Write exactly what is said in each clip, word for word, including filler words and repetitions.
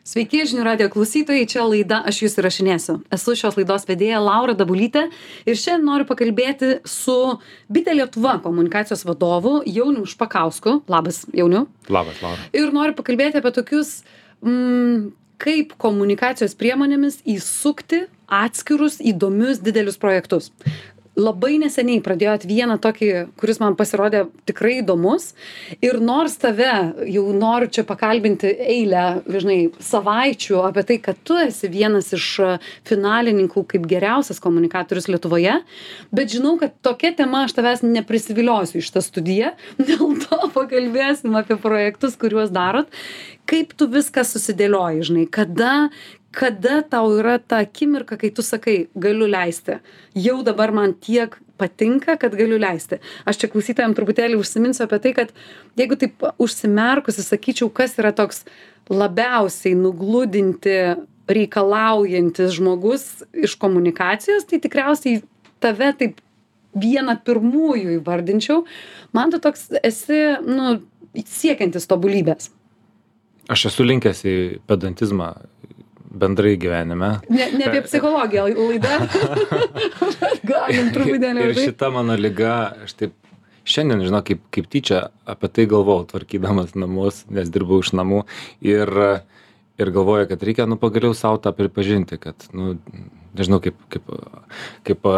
Sveiki, žinių radijo klausytojai, čia laida Aš jūs įrašinėsiu. Esu šios laidos vedėja Laura Dabulytė ir šiandien noriu pakalbėti su Bitė Lietuva komunikacijos vadovu Jaunium Špakausku. Labas, Jauniu. Labas, Laura. Ir noriu pakalbėti apie tokius, mm, kaip komunikacijos priemonėmis įsukti atskirus įdomius didelius projektus. Labai neseniai pradėjot vieną tokį, kuris man pasirodė tikrai įdomus. Ir nors tave jau noriu čia pakalbinti eilę, žinai, savaičių apie tai, kad tu esi vienas iš finalininkų kaip geriausias komunikatorius Lietuvoje, bet žinau, kad tokia tema aš tavęs neprisiviliosiu į šitą studiją, dėl to pakalbėsim apie projektus, kuriuos darot. Kaip tu viską susidėlioji, žinai, kada... Kada tau yra ta akimirka, kai tu sakai, galiu leisti. Jau dabar man tiek patinka, kad galiu leisti. Aš čia klausytojams truputėlį užsiminsiu apie tai, kad jeigu taip užsimerkusi sakyčiau, kas yra toks labiausiai nugludinti, reikalaujantis žmogus iš komunikacijos, tai tikriausiai tave taip vieną pirmųjų įvardinčiau. Man tu toks esi, nu, siekiantis tobulybės. Aš esu linkęs į pedantizmą bendrai gyvenime. Ne, ne apie psichologiją laida. Galim truputėlį. Ir šita mano liga, aš taip šiandien, žinau, kaip, kaip tyčia apie tai galvojau, tvarkydamas namus, nes dirbau iš namų. Ir, ir galvoju, kad reikia, nu, pagaliau savo tą pripažinti, kad, nu, nežinau, kaip, kaip, kaip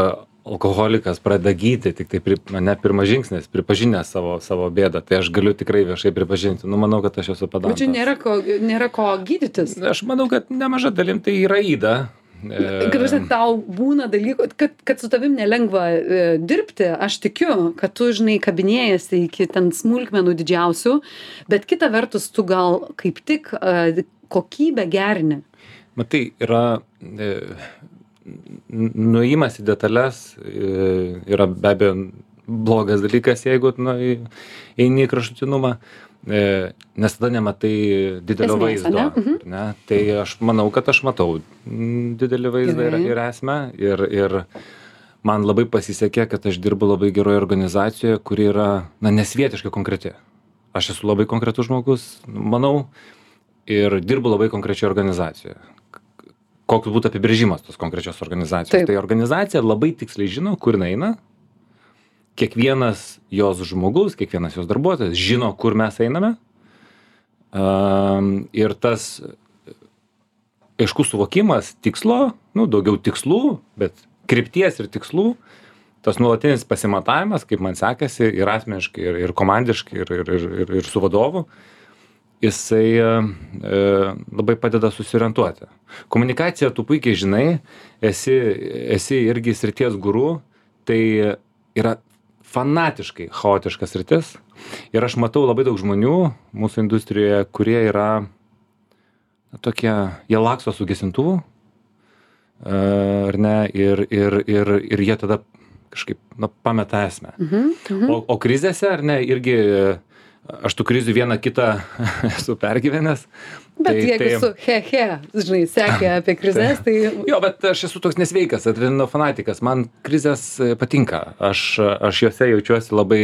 alkoholikas pradeda gydyti, tik tai pri, ne pirmas žingsnis, pripažinęs savo, savo bėdą. Tai aš galiu tikrai viešai pripažinti. Nu, manau, kad aš esu pedantas. Bet čia nėra ko, nėra ko gydytis. Aš manau, kad nemaža dalim tai yra yda. Kad vis tau būna dalykų, kad, kad su tavim nelengva e, dirbti, aš tikiu, kad tu, žinai, kabinėjasi iki ten smulkmenų didžiausių, bet kita vertus tu gal kaip tik e, kokybę gerini. Matai, yra... E, nuėjimas į detalės yra be abejo blogas dalykas, jeigu nu, eini į kraštutinumą, nes tada nematai didelio Esmės, vaizdo. Ne? Mhm. Ne? Tai aš manau, kad aš matau didelį vaizdą ir, ir esmę. Ir, ir man labai pasisekė, kad aš dirbu labai geroje organizacijoje, kuri yra na, nesvietiškai konkreti. Aš esu labai konkretus žmogus, manau, ir dirbu labai konkrečioje organizacijoje. Koks būtų apibrėžimas tos konkrečios organizacijos. Taip. Tai organizacija labai tiksliai žino, kur jinai eina. Kiekvienas jos žmogus, kiekvienas jos darbuotojas žino, kur mes einame. Um, ir tas aiškus suvokimas tikslo, nu, daugiau tikslų, bet krypties ir tikslų, tas nuolatinis pasimatavimas, kaip man sekasi ir asmeniškai, ir, ir komandiškai, ir, ir, ir, ir su vadovu, jisai e, labai padeda susiorientuoti. Komunikacija, tu puikiai žinai, esi, esi irgi srities guru, tai yra fanatiškai chaotiškas sritis. Ir aš matau labai daug žmonių mūsų industrijoje, kurie yra na, tokie, jie laksto su gesintuvu, e, ar ne, ir, ir, ir, ir jie tada kažkaip na, pameta esmę. Mhm, mhm. O, o krizėse, ar ne, irgi aš tų krizių vieną kitą esu pergyvenęs. Bet tai, jeigu tai... su he-he, žinai, sekė apie krizės, tai... Jo, bet aš esu toks nesveikas, adrenalino fanatikas. Man krizės patinka. Aš, aš juose jaučiuosi labai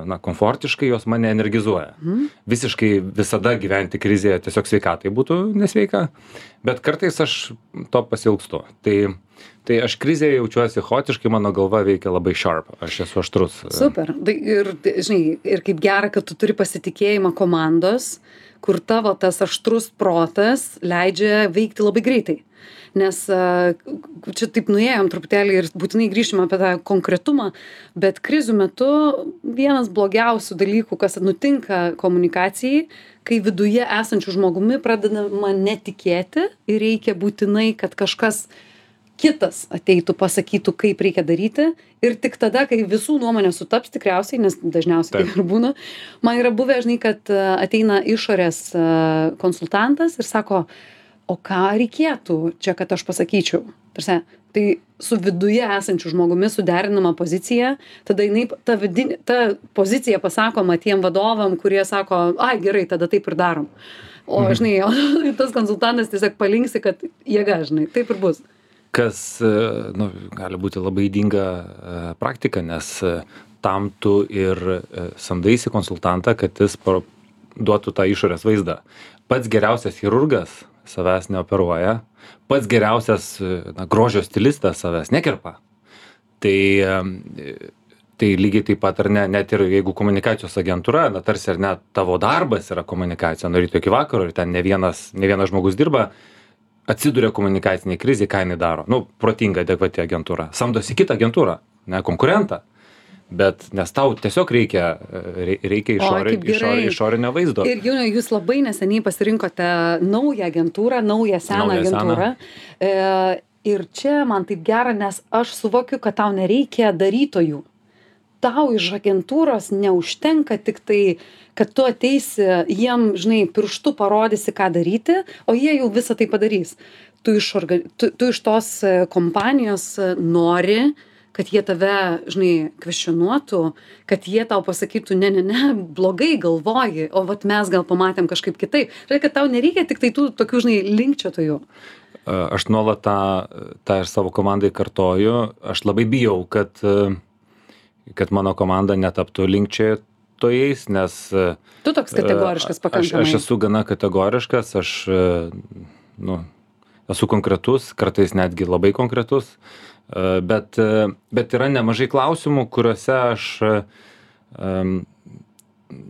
na, komfortiškai, jos mane energizuoja. Mm. Visiškai visada gyventi krizėje tiesiog sveikatai būtų nesveika, bet kartais aš to pasiilgstu. Tai... Tai aš krizėje jaučiuosi chaotiškai, mano galva veikia labai sharp, aš esu aštrus. Super. Ir, žinai, ir kaip gera, kad tu turi pasitikėjimą komandos, kur tavo tas aštrus protas leidžia veikti labai greitai. Nes čia taip nuėjom truputėlį ir būtinai grįžtume apie tą konkretumą, bet krizių metu vienas blogiausių dalykų, kas nutinka komunikacijai, kai viduje esančių žmogumi pradedama netikėti ir reikia būtinai, kad kažkas kitas ateitų, pasakytų, kaip reikia daryti ir tik tada, kai visų nuomonė sutaps tikriausiai, nes dažniausiai taip ir būna, man yra buvę, žinai, kad ateina išorės konsultantas ir sako, o ką reikėtų čia, kad aš pasakyčiau. Tarsi, tai su viduje esančiu žmogumi suderinama pozicija, tada jinai, ta, vidinė, ta pozicija pasakoma tiem vadovam, kurie sako, ai gerai, tada taip ir darom. O, žinai, o tas konsultantas tiesiog palinksi, kad jėga, žinai, taip ir bus. Kas nu, gali būti labai ydinga praktika, nes tam tu ir samdaisi konsultantą, kad jis duotų tą išorės vaizdą. pats geriausias chirurgas savęs neoperuoja, pats geriausias na, grožio stilistas savęs nekerpa. Tai, tai lygiai taip pat ar ne, net ir jeigu komunikacijos agentūra, na tarsi ar ne tavo darbas yra komunikacija nuo ryto iki vakaro ir ten ne vienas, ne vienas žmogus dirba, atsiduria komunikaciniai krizė, ką jinai daro. Nu, protinga, adekvati agentūra. Samdosi kitą agentūrą, ne konkurentą. Bet nes tau tiesiog reikia, reikia išori, išori, išorinio vaizdo. Ir Junai, jūs labai neseniai pasirinkote naują agentūrą, naują seną naują agentūrą. Seną. E, ir čia man taip gera, nes aš suvokiu, kad tau nereikia darytojų. Tau iš agentūros neužtenka tik tai, kad tu ateisi, jiem, žinai, pirštu parodysi, ką daryti, o jie jau visą tai padarys. Tu iš, orga, tu, tu iš tos kompanijos nori, kad jie tave, žinai, kvestionuotų, kad jie tau pasakytų, ne, ne, ne, blogai galvoji, o vat mes gal pamatėm kažkaip kitaip. Žinai, kad tau nereikia tik tai tų tokių, žinai, linkčiotojų. Aš nuolat tą, tą ir savo komandai kartoju. Aš labai bijau, kad, kad mano komanda netaptų linkčiotojais, nes... Tu toks kategoriškas pakankamai. Aš, aš esu gana kategoriškas, aš nu, esu konkretus, kartais netgi labai konkretus. Bet, bet yra nemažai klausimų, kuriuose aš um,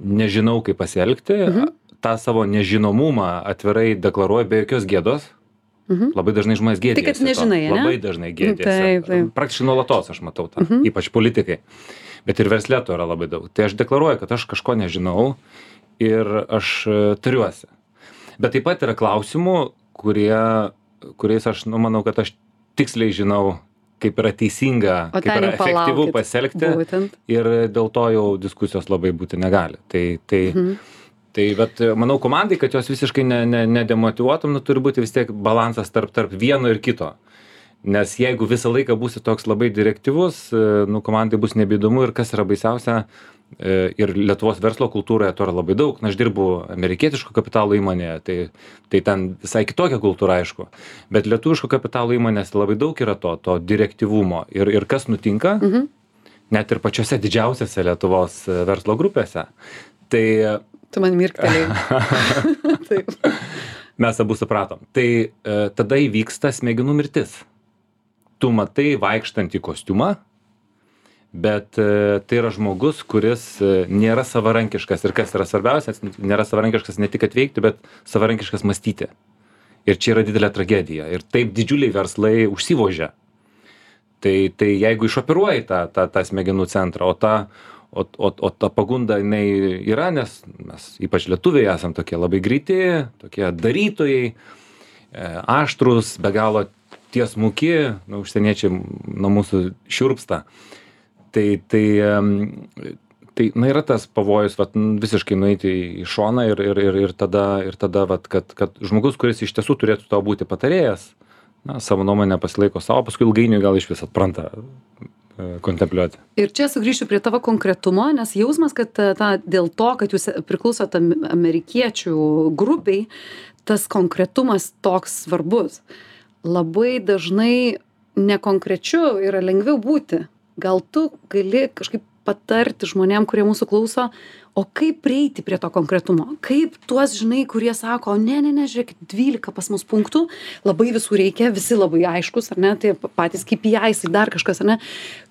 nežinau, kaip pasielgti. Mhm. tą savo nežinomumą atvirai deklaruoju be jokios gėdos. Mhm. Labai dažnai žmonės gėdijasi. Tai kad nežinai, to. ne? Labai dažnai gėdijasi. Taip, taip. Praktiškai nuolatos aš matau tą, mhm. ypač politikai. Bet ir versle to yra labai daug. Tai aš deklaruoju, kad aš kažko nežinau ir aš turiuosi. Bet taip pat yra klausimų, kurie, kuriais aš nu, manau, kad aš tiksliai žinau, kaip yra teisinga, o kaip yra efektyvu pasielgti. Būtent. Ir dėl to jau diskusijos labai būti negali. Tai, tai, mhm. tai bet manau komandai, kad jos visiškai ne, ne, nedemotyvuotum, nu, turi būti vis tiek balansas tarp, tarp vieno ir kito. Nes jeigu visą laiką būsi toks labai direktyvus, nu, komandai bus nebeįdomu ir kas yra baisiausia, ir Lietuvos verslo kultūroje to yra labai daug. Na, aš dirbu amerikietiško kapitalo įmonėje, tai, tai ten visai kitokia kultūra, aišku. Bet lietuviško kapitalo įmonėse labai daug yra to, to direktyvumo. Ir, ir kas nutinka, mhm. net ir pačiose didžiausiose Lietuvos verslo grupėse. Tai... Tu man mirktelėjai. Taip. Mes abu supratom. Tai e, tada įvyksta smegenų mirtis. Tu matai vaikštantį kostiumą, bet e, tai yra žmogus, kuris e, nėra savarankiškas. Ir kas yra svarbiausia, nėra savarankiškas ne tik atveikti, bet savarankiškas mąstyti. Ir čia yra didelė tragedija. Ir taip didžiuliai verslai užsivožia. Tai, tai jeigu išoperuoji tą, tą, tą smegenų centrą, o ta, o, o, o ta pagunda jinai yra, nes mes ypač lietuviai esam tokie labai greiti, tokie darytojai, e, aštrus, be galo tiesmuki, nu, užsieniečiai nuo mūsų šiurpsta. Tai, tai, tai na, yra tas pavojus vat, visiškai nueiti į šoną ir, ir, ir, ir tada, ir tada vat, kad, kad žmogus, kuris iš tiesų turėtų tau būti patarėjas, na, savo nuomonę pasilaiko savo, paskui ilgainiui gal iš vis atpranta kontempliuoti. Ir čia sugrįšiu prie tavo konkretumo, nes jausmas, kad ta, dėl to, kad jūs priklausote amerikiečių grupiai, tas konkretumas toks svarbus. Labai dažnai nekonkrečiu yra lengviau būti. Gal tu gali kažkaip patarti žmonėm, kurie mūsų klauso, o kaip prieiti prie to konkretumo? Kaip tuos, žinai, kurie sako, ne, ne, ne, žiūrėkit, dvylika pas mus punktų, labai visų reikia, visi labai aiškus, ar ne, tai patys K P Is, dar kažkas, ar ne?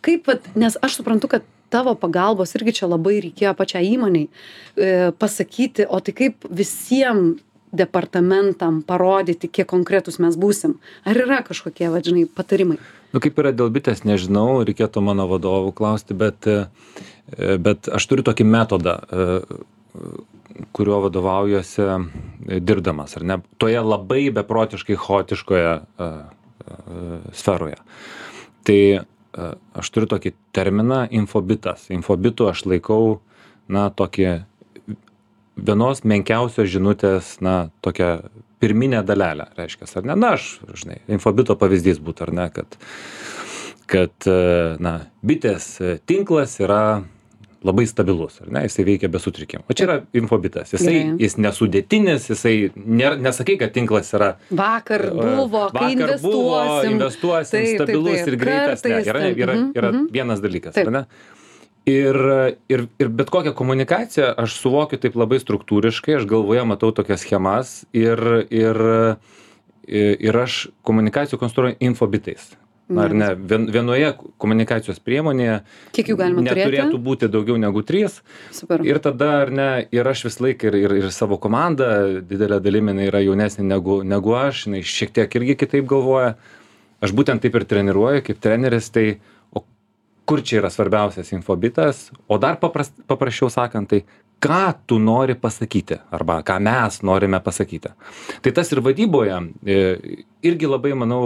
Kaip, nes aš suprantu, kad tavo pagalbos irgi čia labai reikėjo pačiai įmoniai e, pasakyti, o tai kaip visiems departamentam parodyti, kiek konkretus mes būsim. Ar yra kažkokie, va, žinai, patarimai? Nu, kaip yra dėl bitės, nežinau, reikėtų mano vadovų klausti, bet, bet aš turiu tokį metodą, kuriuo vadovaujuosi dirbdamas, ar ne? Toje labai beprotiškai chaotiškoje sferoje. Tai aš turiu tokį terminą infobitas. Infobitu aš laikau, na, tokį vienos menkiausios žinutės, na, tokią pirminę dalelę, reiškia, ar ne? Na, aš, žinai, infobito pavyzdys būtų, ar ne, kad, kad, na, bitės tinklas yra labai stabilus, ar ne, jisai veikia be sutrikimų. O čia yra infobitas, jisai, yeah. jis nesudėtinis, jisai, ne, nesakai, kad tinklas yra... Vakar buvo, vakar kai investuosim. Buvo, investuosim, taip, stabilus taip, taip. ir greitas, ne, yra, yra, yra, yra mhm. vienas dalykas, taip. ar ne? Ir, ir, ir bet kokią komunikaciją aš suvokiu taip labai struktūriškai, aš galvoje matau tokias schemas ir, ir, ir aš komunikacijų konstruoju infobitais. Na, ar ne, vien, vienoje komunikacijos priemonėje Kiek jų galima neturėtų turėti? būti daugiau negu trys. Super. Ir tada, ar ne, ir aš vis laik ir, ir, ir savo komanda, didelė dalimi jinai yra jaunesnė negu, negu aš, jinai šiek tiek irgi kitaip galvoja. Aš būtent taip ir treniruoju kaip treneris, tai o kur čia yra svarbiausias infobitas, o dar paprast, paprasčiau sakant, tai ką tu nori pasakyti, arba ką mes norime pasakyti. Tai tas ir vadyboje irgi labai, manau,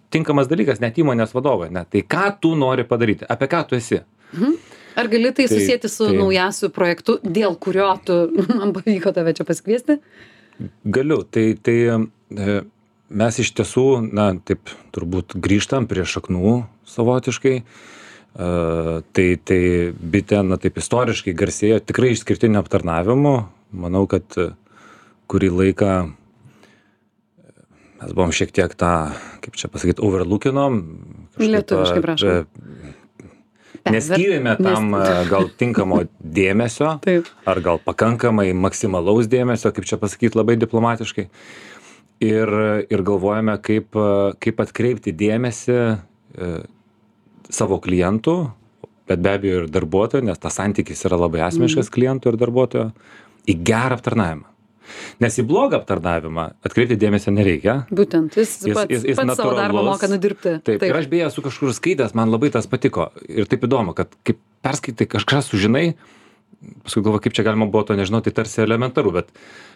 tinkamas dalykas, net įmonės vadovai, ne? Tai ką tu nori padaryti, apie ką tu esi. Mhm. Ar gali tai, tai susijęti su tai, naujausiu projektu, dėl kurio tu, man pavyko tave čia pasikviesti? Galiu, tai, tai mes iš tiesų, na, taip turbūt grįžtam prie šaknų savotiškai. Uh, tai, tai bitė, na, taip istoriškai garsėjo tikrai išskirtiniu aptarnavimu. Manau, kad kurį laiką mes buvom šiek tiek tą, kaip čia pasakyti, overlookinom. Lietuviškai, prašau. Neskyrėme tam gal tinkamo dėmesio, Taip. Ar gal pakankamai maksimalaus dėmesio, kaip čia pasakyti labai diplomatiškai. Ir, ir galvojame, kaip, kaip atkreipti dėmesį e, savo klientų, bet be abejo ir darbuotojų, nes tas santykis yra labai asmeniškas klientų ir darbuotojo, į gerą aptarnavimą. Nes į blogą aptarnavimą atkreipti dėmesio nereikia. Būtent, jis, jis pats, jis, jis pats savo darbą moka nudirbti. Taip, taip. Ir aš beje esu kažkur skaitęs, man labai tas patiko. Ir taip įdomu, kad kaip perskaitai kažką sužinai, paskui galvo, kaip čia galima buvo to nežinau, tai tarsi elementaru, bet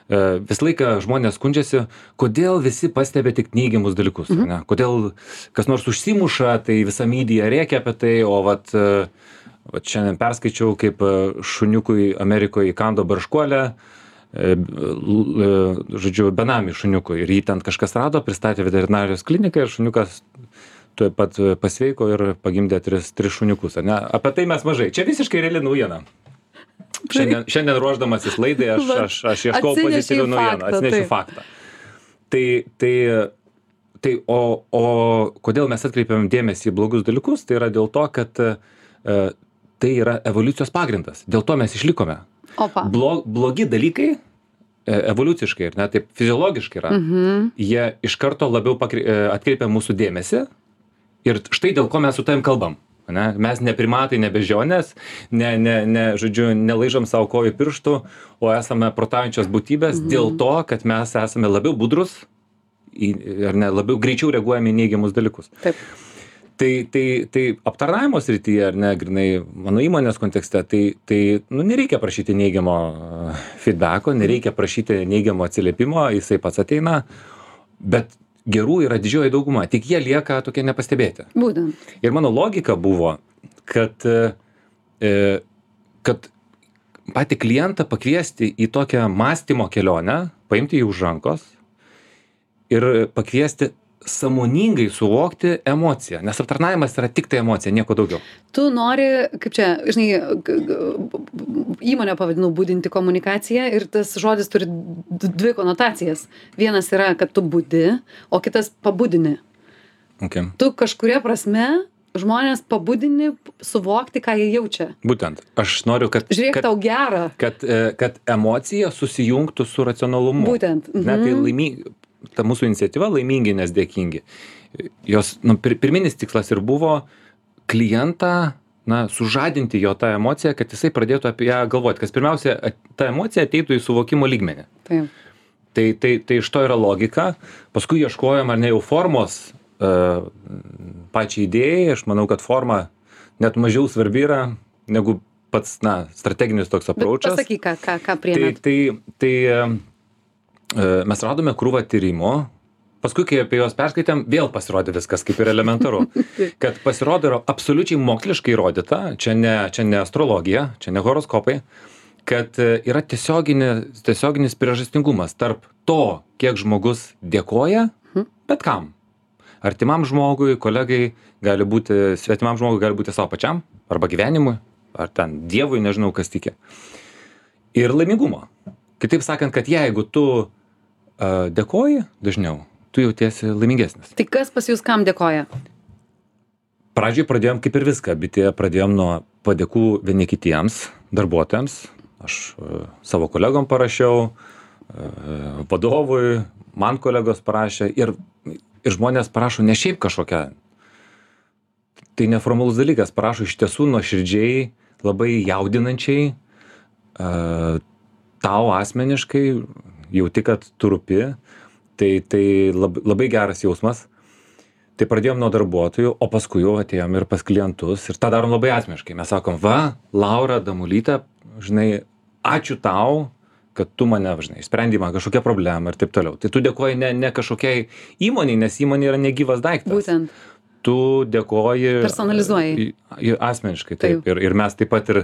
e, visą laiką žmonės skundžiasi, kodėl visi pastebė tik neigiamus dalykus. Mhm. Ne? Kodėl kas nors užsimuša, tai visa media rėkia apie tai, o vat, vat šiandien perskaičiau, kaip šuniukui Amerikoje įkando barškuolę, e, e, žodžiu, benamį šuniukui. Ir jį ten kažkas rado, pristatė veterinarijos kliniką ir šuniukas tuoj pat pasveiko ir pagimdė tris, tris šuniukus. Ne? Apie tai mes mažai. Čia visiškai reali naujiena. Šiandien, šiandien ruoždamasis laidai aš, aš, aš ieškau pozityvių naujienų, atsinešiu faktą. Tai, tai, tai o, o kodėl mes atkreipiam dėmesį į blogus dalykus, tai yra dėl to, kad e, tai yra evoliucijos pagrindas. Dėl to mes išlikome. Opa. Blo, blogi dalykai e, evoliuciškai ir net taip fiziologiškai yra. Mhm. Jie iš karto labiau pakri, e, atkreipia mūsų dėmesį ir štai dėl ko mes su tavim kalbam. Ne? Mes ne primatai, ne bežionės, ne, ne, ne, žodžiu, nelaižom savo kojų pirštų, o esame protaujančios būtybės mhm. dėl to, kad mes esame labiau budrus ir ne, labiau greičiau reaguojame į neigiamus dalykus. Taip. Tai, tai, tai aptarnavimo srityje, ar ne, grinai mano įmonės kontekste, tai, tai nu, nereikia prašyti neigiamo feedbacko, nereikia prašyti neigiamo atsiliepimo, jisai pats ateina, bet gerų yra didžioji dauguma, tik jie lieka tokie nepastebėti. Būtent. Ir mano logika buvo, kad, e, kad patį klientą pakviesti į tokią mąstymo kelionę, paimti jį už rankos ir pakviesti sąmoningai suvokti emociją, nes aptarnavimas yra tik tai emocija, nieko daugiau. Tu nori, kaip čia, žinai, įmonę pavadinau budinti komunikaciją ir tas žodis turi dvi konotacijas. Vienas yra, kad tu budi, o kitas pabudini. Okay. Tu kažkuria prasme žmonės pabudini suvokti, ką jie jaučia. Būtent. Aš noriu, kad... Žiūrėk, kad, tau gera. Kad, kad emocija susijungtų su racionalumu. Būtent. Mhm. Ne, tai laimingi... Ta mūsų iniciatyva laimingi, nes dėkingi. Jos, nu, pir, pirminis tikslas ir buvo klientą, na, sužadinti jo tą emociją, kad jisai pradėtų apie ją galvoti, kas pirmiausia, ta emocija ateitų į suvokimo lygmenį. Taip. Tai, tai, tai iš to yra logika. Paskui ieškojom, ar ne jau formos uh, pačiai idėjai. Aš manau, kad forma net mažiau svarbi yra, negu pats, na, strateginis toks approachas. Bet pasakyk, ką, ką, ką priėmėt. Tai, tai, tai uh, mes radome krūvą tyrimų, paskui, kai apie juos perskaitėm, vėl pasirodė viskas kaip ir elementaru. Kad pasirodo yra absoliučiai moksliškai įrodyta, čia ne, čia ne astrologija, čia ne horoskopai, kad yra tiesioginis, tiesioginis priežastingumas tarp to, kiek žmogus dėkoja, bet kam. Artimam žmogui, kolegai, gali būti, svetimam žmogui, gali būti savo pačiam, arba gyvenimui, ar ten dievui, nežinau, kas tikė. Ir laimingumo. Kitaip sakant, kad jeigu tu dėkoji dažniau, tu jautiesi laimingesnis. Tai kas pas jūs kam dėkoja? pradžioj pradėjom kaip ir viską, bitėje pradėjom nuo padėkų vieni kitiems darbuotojams. Aš e, savo kolegom parašiau, e, vadovui, man kolegos parašė ir, ir žmonės parašo ne šiaip kažkokią. Tai neformalus dalykas, parašo iš tiesų nuoširdžiai, labai jaudinančiai, e, tau asmeniškai, jauti, kad tu rūpi, tai, tai labai, labai geras jausmas. Tai pradėjom nuo darbuotojų, o paskui jau atėjom ir pas klientus ir tą darom labai asmeniškai. Mes sakom, va, Laura Damulytė, žinai, ačiū tau, kad tu mane, žinai, sprendei man kažkokią problemą ir taip toliau. Tai tu dėkoji ne, ne kažkokiai įmoniai, nes įmonė yra negyvas daiktas. Būtent. Tu dėkoji. Personalizuoji. Asmeniškai, taip. taip. Ir, ir mes taip pat ir,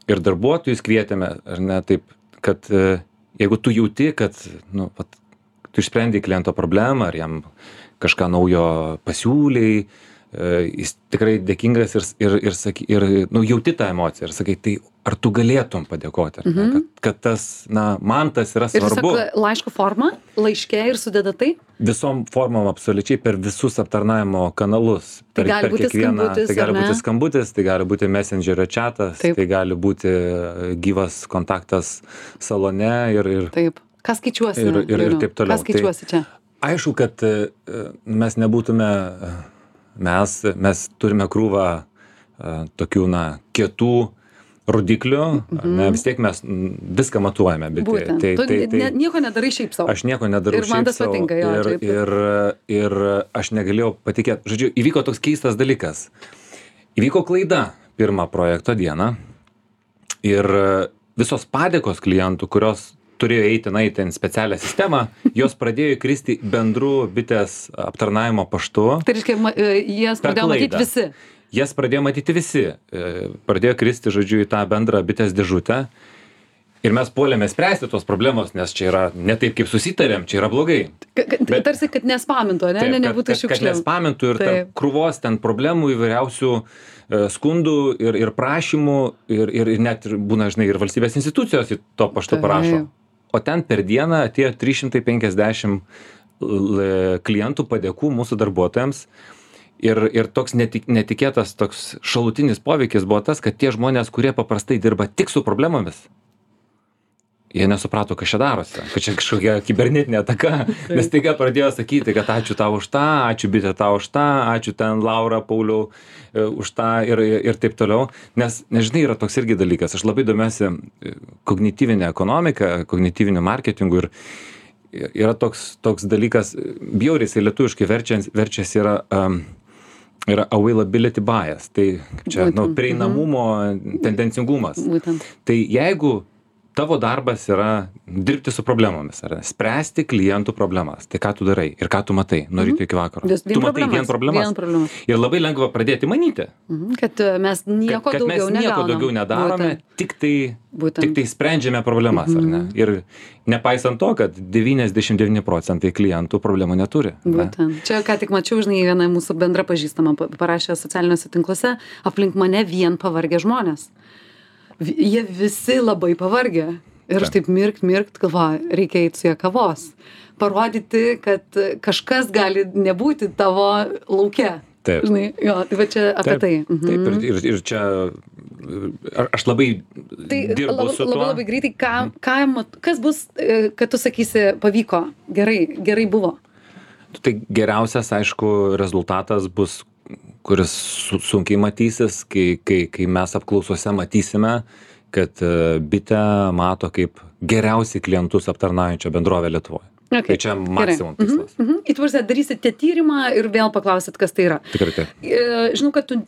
ir darbuotojus kvietėme, ar ne, taip, kad jeigu tu jauti, kad, nu, pat, tu išsprendai kliento problemą, ar jam kažką naujo pasiūliai, jis tikrai dėkingas ir, ir, ir, saky, ir nu, jauti tą emociją ir sakai, tai ar tu galėtum padėkoti, ar ne? kad, kad tas, na, man tas yra svarbu. Ir tiesiog laiško forma, laiške ir sudeda tai? Visom formom absoliučiai per visus aptarnavimo kanalus. Tai per, gali per būti kiekvieną, skambutis, tai gali būti skambutis, tai gali būti messengerio chatas, Taip. tai gali būti gyvas kontaktas salone ir... ir Taip. Kas skaičiuosi? Ir, ir, ir taip toliau. Kas skaičiuosi čia? Aišku, kad mes nebūtume, mes, mes turime krūvą tokių, na, kietų rodiklių, mm-hmm. ne, vis tiek mes viską matuojame. Bet Būtent. Tai, tu tai, tai, ne, nieko nedarai šiaip savo. Aš nieko nedarau šiaip savo. Ir man tas patinka, jo. Ir, taip. ir, ir aš negalėjau patikėti. Žodžiu, įvyko toks keistas dalykas. Įvyko klaida pirmą projekto dieną ir visos padėkos klientų, kurios turėjo eiti, na, į ten specialią sistemą, jos pradėjo įkristi bendrų bitės aptarnavimo paštu. Tai reiškia, jas pradėjo matyti visi. Jas pradėjo matyti visi. Pradėjo kristi, žodžiu, į tą bendrą bitės dėžutę. Ir mes puolėme spręsti tos problemos, nes čia yra ne taip, kaip susitarėm, čia yra blogai. Bet, tarsi, kad nespamintų, ne? Taip, ne nebūtų kad, kad, kad nespamintų ir tarp krūvos ten problemų įvairiausių skundų ir, ir prašymų ir, ir, ir net būna, žinai, ir valstybės institucijos į to paštu parašo. O ten per dieną atėjo trys šimtai penkiasdešimt klientų padėkų mūsų darbuotojams. Ir, ir toks netik, netikėtas toks šalutinis poveikis buvo tas, kad tie žmonės, kurie paprastai dirba tik su problemomis, jie nesuprato, kas čia darosi, kad čia kažkokia kibernetinė ataka, nes taiga pradėjo sakyti, kad ačiū tau už tą, ačiū bitė tau už tą, ačiū ten Laura, Pauliau už tą ir, ir taip toliau. Nes, nežinai, yra toks irgi dalykas, aš labai domiuosi kognityvinė ekonomika, kognityviniu marketingu ir yra toks, toks dalykas, bjauriai, jisai lietuviškai verčias, verčias yra... Um, yra availability bias, tai čia, nu, prieinamumo mhm. tendencingumas. Būtent. Tai jeigu tavo darbas yra dirbti su problemomis, ar spręsti klientų problemas, tai ką tu darai ir ką tu matai nuo ryto iki vakaro? Vis, tu matai vien problemas. Vien problemas. Ir labai lengva pradėti manyti. Mhm. Kad mes nieko kad, kad daugiau mes nieko negaunam. daugiau nedarome, tik tai, tik tai sprendžiame problemas, mhm. ar ne? Ir nepaisant to, kad devyniasdešimt devyni procentai klientų problemų neturi. Būtent. Čia ką tik mačiau, žinai, viena mūsų bendra pažįstama parašė socialiniuose tinkluose, aplink mane vien pavargę žmonės. Jie visi labai pavargę. Ir aš taip mirkt, mirkt, galvoju, reikia eiti su jie kavos. Parodyti, kad kažkas gali nebūti tavo lauke. Taip. Žinai, jo, tai va čia apie taip, tai. Mhm. Taip, ir, ir, ir čia aš labai tai dirbu labai, su tuo. Labai, labai greitai, ką, ką, kas bus, kad tu sakysi, pavyko, gerai, gerai buvo? Tai geriausias, aišku, rezultatas bus, kuris sunkiai matysis, kai, kai, kai mes apklausose matysime, kad bitė mato kaip geriausiai klientus aptarnaujančią bendrovę Lietuvoje. Okay. Tai čia maksimum tikslas. Mhm, mhm. Įtvarsė, darysit tyrimą ir vėl paklausit, kas tai yra. Tikrai taip. Žinau, kad tu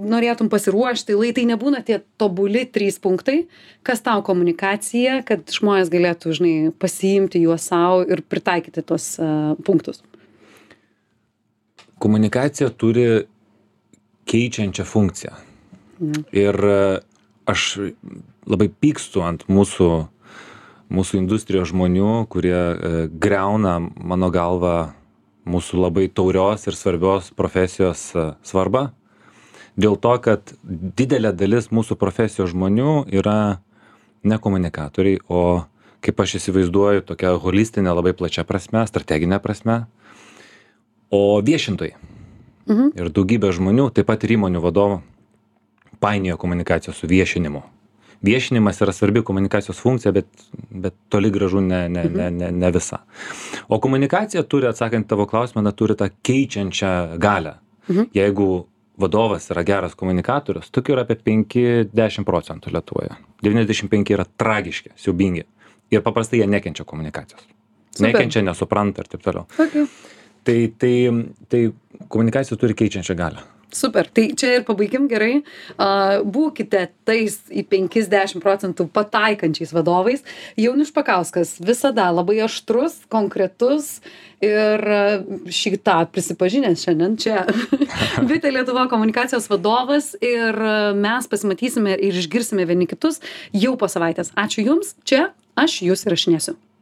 norėtum pasiruošti, lai tai nebūna tie tobuli trys punktai, kas tau komunikacija, kad žmonės galėtų, žinai, pasiimti juos savo ir pritaikyti tuos uh, punktus. Komunikacija turi keičiančią funkciją. Mhm. Ir aš labai pykstu ant mūsų, mūsų industrijos žmonių, kurie e, greuna, mano galva, mūsų labai taurios ir svarbios profesijos e, svarbą. Dėl to, kad didelė dalis mūsų profesijos žmonių yra ne komunikatoriai, o, kaip aš įsivaizduoju, tokia holistinė, labai plačia prasme, strateginė prasme, o viešintojai. Mhm. Ir daugybė žmonių, taip pat ir įmonių vadovų, painioja komunikaciją su viešinimu. Viešinimas yra svarbi komunikacijos funkcija, bet, bet toli gražu ne, ne, mhm. ne, ne, ne visa. O komunikacija turi, atsakant tavo klausimą, na, turi tą keičiančią galią. Mhm. Jeigu vadovas yra geras komunikatorius, tokių yra apie penki dešimt procentų Lietuvoje. devyniasdešimt penki yra tragiški, siaubingi. Ir paprastai jie nekenčia komunikacijos. Super. Nekenčia, nesupranta ir taip toliau. Okay. Tai, tai, tai komunikacija turi keičiančią galią. Super, tai čia ir pabaigim gerai. Uh, būkite tais į penkiasdešimt procentų pataikančiais vadovais. Jaunius Špakauskas visada labai aštrus, konkretus ir šitą prisipažinęs šiandien čia. Bitė Lietuva komunikacijos vadovas ir mes pasimatysime ir išgirsime vieni kitus jau po savaitės. Ačiū Jums, čia aš Jūs įrašinėsiu.